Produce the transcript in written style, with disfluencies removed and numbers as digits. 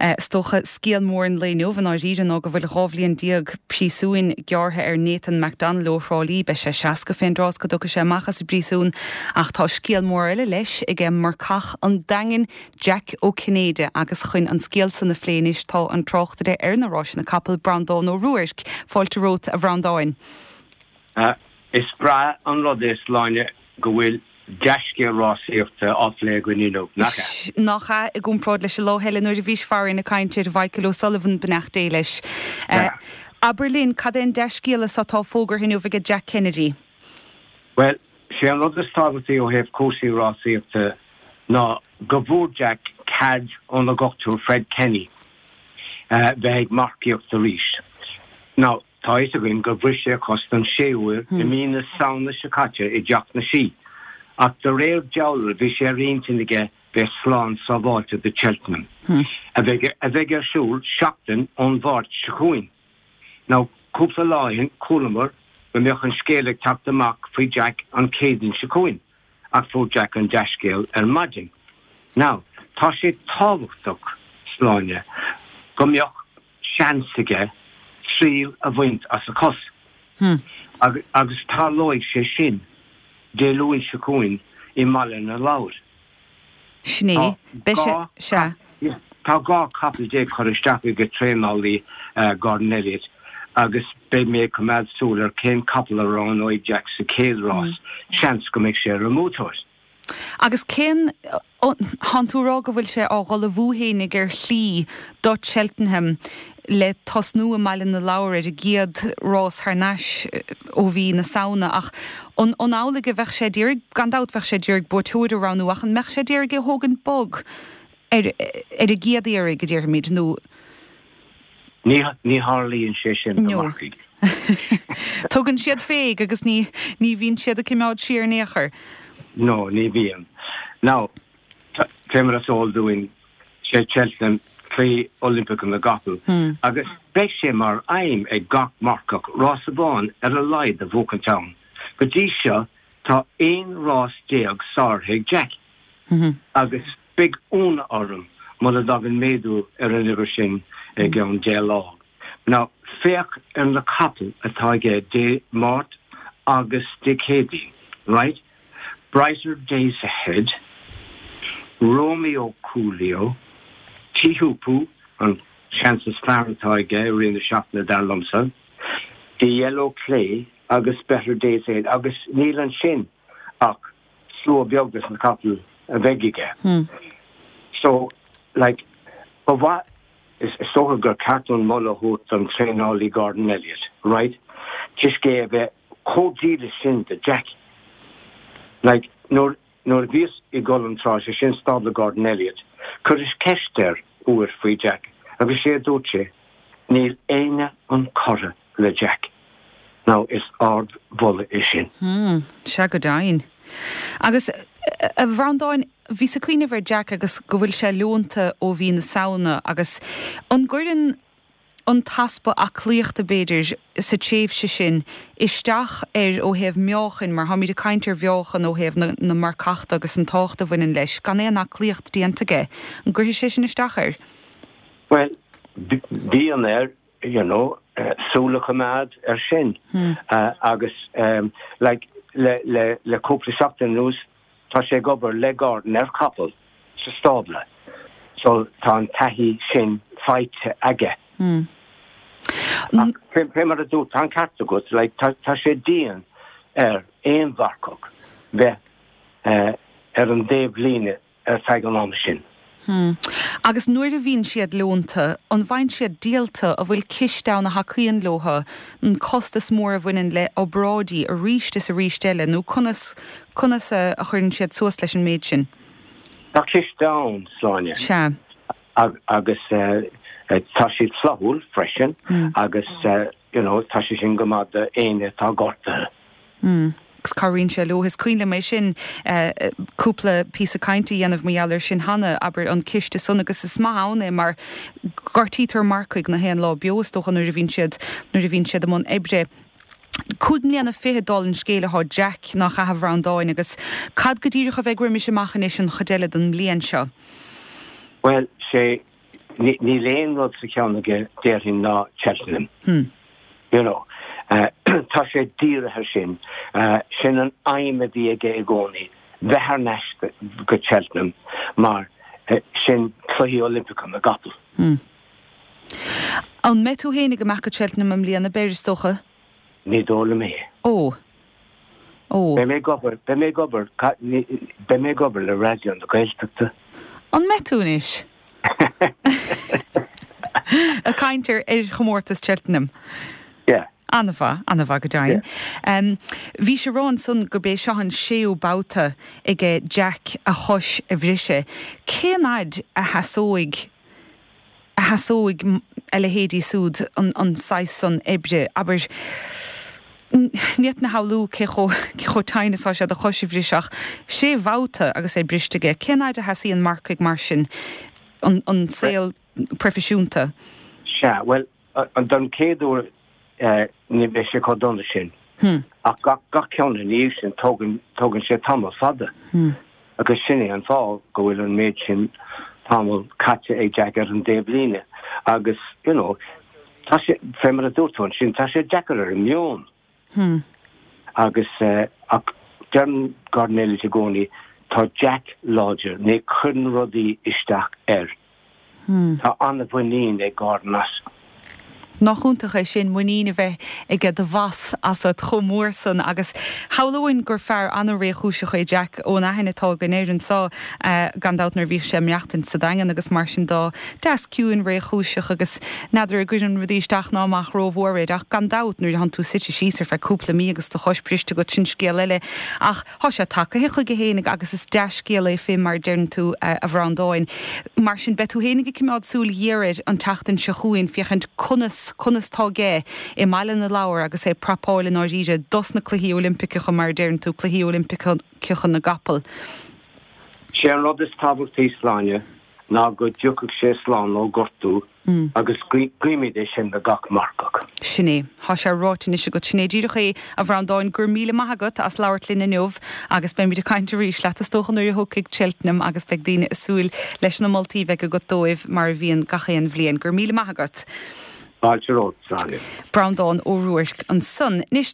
Is dócha scéal mór an lae inniu i ndáiríre ná go bhfuil 12 bhliain príosúin gearrtha ar Nathan McDonnell ó Thrá Lí. Beidh sé 60 fén dtráth is go dtiocfaidh sé amach as an bpríosún ach tá scéal mór eile leis aige marcach an Daingin, Jack Ó Cinnéide agus chun an scéal san a phlé anois tá an tráchtaire ar na ráiseanna capall, Breandán Ó Ruairc. Fáilte romhat a Bhreandáin. Is breá an rud é, Sláine, go bhfuil dea-scéal rásaíochta á phlé againn inniu, nach ea? Nach ea, i gcomparáid leis an lá eile nuair a bhís farainn ag caint ar Mhichael O'Sullivan, beannacht Dé leis. Abair linn, cad é an dea-scéala so atá fógartha inniu aige Jack Kennedy? Bhuel, sé an rud is tábhachtaí ó thaobh cúrsaí rásaíochta ná go bhfuair Jack cead óna dhochtúir Fred Kenny bheith ag marcaíocht arís. Now, tá a fhios againn gur bhris sé a chos don séú huair i mí na Samhna seo caite i dTeach na Sí, ach de réir dealraimh bhí sé ar intinn aige bheith slán sábháilte do Cheltenham, a bheidh a bheidh ar siúl seachtain ón Mháirt seo chugainn. Now, cúpla lá ó shin chualamar go mbeadh an scéal ag teacht amach faoi Jack an Chéadaoin seo chugainn. ach fuair Jack an dea-scéal ar maidin. Now, tá sé tábhachtach, Sláine, go mbeadh seans aige triail a bhaint as a chos. Agus tarlóidh sé sin Dé Luain seo chugainn i mBaile na Lobhar. Sin é. Beidh sé, sea. Tá 12 capall curtha isteach ag traenálaí Gordon Elliott agus beidh mé ag coimeád súil ar cén capall a roghnóidh Jack sa chéad rás, seans go mbeidh sé ar an mbuaiteoir. Agus cén, thánn tú a rá go bhfuil sé á dh'ullmhú fhéinig ar shlí do Cheltenham le tosnú i mBaile na Lobhar ar an gcéad rás thar n-ais ó mhí na Samhna ach an an amhlaidh a bheadh sé d'iarraidh, gan dabht bheadh sé d'iarraidh buaiteoir a roghnú ach an mbeadh sé d'iarraidh é a thógaint bog ar ar an gcéad iarraidh a déarfaimid nó. Ní ní tharlaíonn sé sin do mharcaigh. Tugann siad féig agus ní ní bhíonn siad ag coimeád siar in aon chor. No, ní bhíonn. Now, Fé mar is eol dúinn, sé Cheltenham Cluichí Oilimpeacha na gCapall agus beidh sé mar aidhm ag gach marcach rás amháin ar a laghad a bhuachaint ann. Go dtí seo tá 11 rás sáraithe ag Jack agus beidh ionadh orm mura dtagann méadú ar an uimhir sin i gceann 10 lá. Now, féach ar na capaill atá aige Dé Máirt agus Dé Céadaoin, right? Brighter Days Ahead, Romeo Coolio, Teahupoo, an seans is fearr atá aige i rith na seachtaine dar liomsa, The Yellow Clay agus Better Days Ahead agus níl ansin ach slua beag des na capaill a bheidh aige. So, like, ba mhaith, is dócha gur ceart an moladh a thabhairt don traenálaí Gordon Elliott, right, toisc é a bheith chomh dílis sin do Jack. Like, nuair, nuair a bhíos i gCoill an Trá, sé sin stábla Gordon Elliott, chuireas ceist air uair faoi Jack agus sé a dúirt sé, níl éinne chun cora le Jack. Now, is ard-mholadh é sin. Hmm, sea go deimhin. Agus, a Bhreandáin, bhíos ag cuimhneamh ar Jack agus go bhfuil sé leonta ó mhí na Samhna agus an gcuireann, an t-easpa aclaíochta, b'fhéidir, sa tréimhse sin, isteach air ó thaobh meáchain, mar táimid ag caint ar mheáchan ó thaobh na marcachta agus an tábhacht a bhaineann leis, gan aon aclaíocht déanta aige. An gcuirfidh sé sin isteach air? Bhuel, bíonn air, you know, súil a choimeád air sin agus like le, le, le cúpla seachtain anuas, Tá sé ag obair le Gordon ar chapall sa stábla so tá an taithí sin faighte aige. Ach fé mar a dúirt, tá an ceart agat, like, tá sé dian ar aon mharcach bheith ar an dtaobhlíne ar feadh an ama sin. Hmm. Agus nuair a bhíonn siad leonta, an bhfaigheann siad díolta, an bhfuil ciste ann a thacaíonn leo, an costas mór a bhaineann le obráidí arís is arís eile, nó conas, conas a chuireann siad suas leis an méid sin? Tá ciste ann, Sláine. Sea. Agus tá siad flaithiúil freisin agus you know, tá sé sin go maith do éinne atá gortaithe. Mm. Agus cabhraíonn sé leo. Is cuimhin liom é sin, cúpla píosa cainte a dhéanamh mar gheall air sin cheana, abair, an ciste san, agus is maith ann é mar gortaítear marcaigh na haon lá beo, is dócha, nuair a bhíonn siad, nuair a bhíonn siad i mbun oibre. 5 mbliana fichead dála an scéil atá Jack, nach ea a Bhreandáin, agus cad go díreach a bheidh roimis amach anois an chuid eile den mbliain seo? Bhuel, sé. Níl aon rud sa cheann aige, déarfainn, ná Cheltenham. You know. Tá sé dírithe air sin. Sin an aidhm a bhí aige i gcónaí, bheith thar n-ais go Cheltenham mar sin Cluichí Oilimpeacha na gCapall. An mbeidh tú féin ag imeacht go Cheltenham i mbliana, b'fhéidir, is dócha? Ní dóigh liom é. Ó. Ó. Beidh mé ag obair, beidh mé ag obair, beidh mé ag obair le Raidió na Gaeltachta. An mbeidh tú anois? Ag caint ar chomórtas Cheltenham. Yeah. An-mhaith, an-mhaith go deimhin. Yeah. Bhís ag rá ansan gurb é seo an séú babhta aige Jack a chois a bhriseadh. Cén fhaid a sheasóidh a sheasóidh a leithéidí súd an saghas san oibre, abair, ní fhéadfainn a shamhlú cé chomh, cé chomh tinn is atá sé do chois a bhriseadh ach sé bhabhta agus é briste aige, cén fhaid a sheasaíonn marcaigh mar sin an, an saol proifisiúnta? Sea, bhuel, don chéad uair ní bheidh sé chomh dona sin. Ach gach ceann ina dhiaidh sin, tógann, tógann sé tamall fada. Agus sin é an fáth go bhfuil an méid sin tamall caite ag Jack ar an dtaobhlíne. Agus, you know, tá sé, fé mar a dúirt tú ansin, tá sé deacair ar an meon. Agus, ach deireann Gordon Elliott i gcónaí, tá Jack láidir, ní chuireann rudaí isteach air. Tá an-mhuinín ag Gordon as. Nach iontach é sin, muinín a bheith aige do bhoss asat chomh mór san agus shamhlóinn gur fear an-réchúiseach é Jack ón aithne atá againn air anseo, gan dabht nuair a bhíodh sé ag maireachtaint sa Daingean agus mar sin de, deas ciúin réchúiseach agus n'fheadar an gcuireann rudaí isteach ná amach rómhór air ach gan dabht nuair a thánn tú suite síos ar feadh cúpla mí agus do chois briste agat sin scéal eile ach Thá sé tagaithe chuige fhéinig agus is dea-scéal é fé mar a deireann tú, a Bhreandáin. Mar sin, beidh tú fhéinig ag cimeád súil ghéar air an tseachtain seo chugainn féachaint conas, conas tá aige i mBaile na Lobhar agus é ag prapáil i ndáiríre dos na Cluichí Oilimpiceacha, mar a deireann tú, Cluichí Oilimpiceacha na gCapall. Sé an rud is tábhachtaí, Sláine, ná go dtiocfadh sé slán ó ghortú agus guímid é sin do gach marcach. Sin é. Thá sé ráite anois agat. Sin é díreach é, a Bhreandáin. Go raibh míle maith agat as labhairt linn inniu agus beimid ag caint arís leat is dócha nuair a thiocfaidh Cheltenham agus beidh daoine ag súil leis na moltaí a bheidh agat dóibh mar a bhíonn gach aon bhliain. Go raibh míle maith agat. Fáilte romhat, Sláine. Breandán Ó Ruairc ansan. Anois.